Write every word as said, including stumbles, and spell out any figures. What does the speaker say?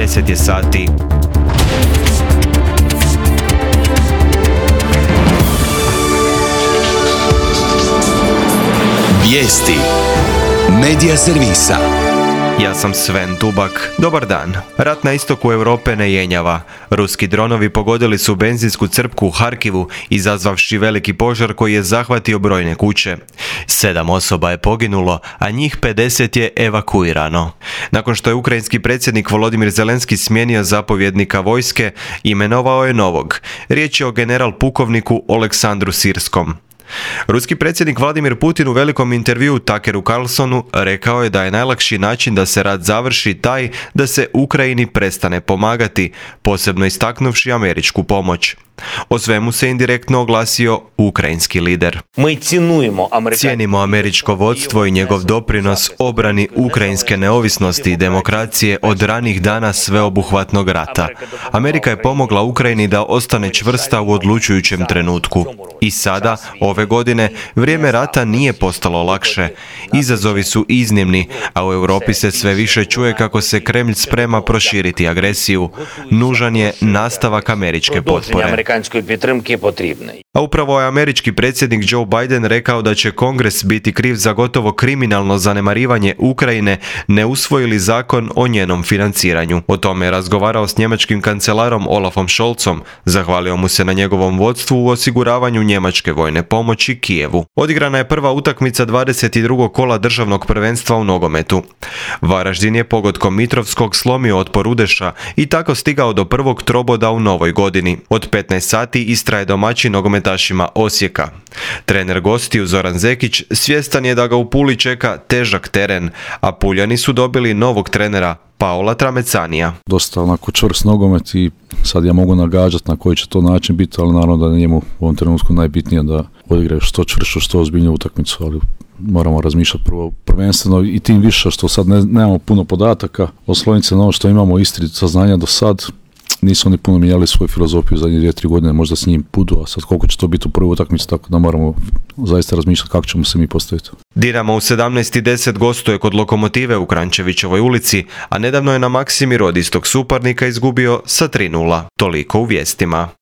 deset je sati. Vijesti Medija servisa. Ja sam Sven Dubak. Dobar dan. Rat na istoku Europe ne jenjava. Ruski dronovi pogodili su benzinsku crpku u Harkivu, izazvavši veliki požar koji je zahvatio brojne kuće. Sedam osoba je poginulo, a njih pedeset je evakuirano. Nakon što je ukrajinski predsjednik Volodimir Zelenski smijenio zapovjednika vojske, imenovao je novog. Riječ je o general pukovniku Oleksandru Sirskom. Ruski predsjednik Vladimir Putin u velikom intervjuu Tuckeru Carlsonu rekao je da je najlakši način da se rat završi taj da se Ukrajini prestane pomagati, posebno istaknuvši američku pomoć. O svemu se indirektno oglasio ukrajinski lider. Cijenimo američko vodstvo i njegov doprinos obrani ukrajinske neovisnosti i demokracije od ranih dana sveobuhvatnog rata. Amerika je pomogla Ukrajini da ostane čvrsta u odlučujućem trenutku. I sada, ove godine, vrijeme rata nije postalo lakše. Izazovi su iznimni, a u Europi se sve više čuje kako se Kremlj sprema proširiti agresiju. Nužan je nastavak američke potpore. A upravo je američki predsjednik Joe Biden rekao da će Kongres biti kriv za gotovo kriminalno zanemarivanje Ukrajine ne usvojili zakon o njenom financiranju. O tome je razgovarao s njemačkim kancelarom Olafom Scholzom, zahvalio mu se na njegovom vodstvu u osiguravanju njemačke vojne pomoći Kijevu. Odigrana je prva utakmica dvadeset drugog kola državnog prvenstva u nogometu. Varaždin je pogodkom Mitrovskog slomio otpor Udeša i tako stigao do prvog troboda u novoj godini. Od petnaest sati Istra je domaćin nogometašima Osijeka. Trener gostiju Zoran Zekić svjestan je da ga u Puli čeka težak teren, a Puljani su dobili novog trenera Paola Tramecanija. Dosta onako čvrst nogomet i sad ja mogu nagađati na koji će to način biti, ali naravno da je njemu u ovom trenutku najbitnije da odigraju što čvršću, što ozbiljniju utakmicu, ali moramo razmišljati prvo prvenstveno i tim više što sad ne, nemamo puno podataka. Osloniti se na ono što imamo Istri saznanja do sad. Nisu oni puno mijenjali svoju filozofiju zadnje dvije, tri godine, možda s njim budu, a sad koliko će to biti u prvoj utakmici, tako da moramo zaista razmišljati kako ćemo se mi postaviti. Dinamo u sedamnaest i deset gostuje kod Lokomotive u Krančevićevoj ulici, a nedavno je na Maksimir od istog suparnika izgubio sa tri nula. Toliko u vijestima.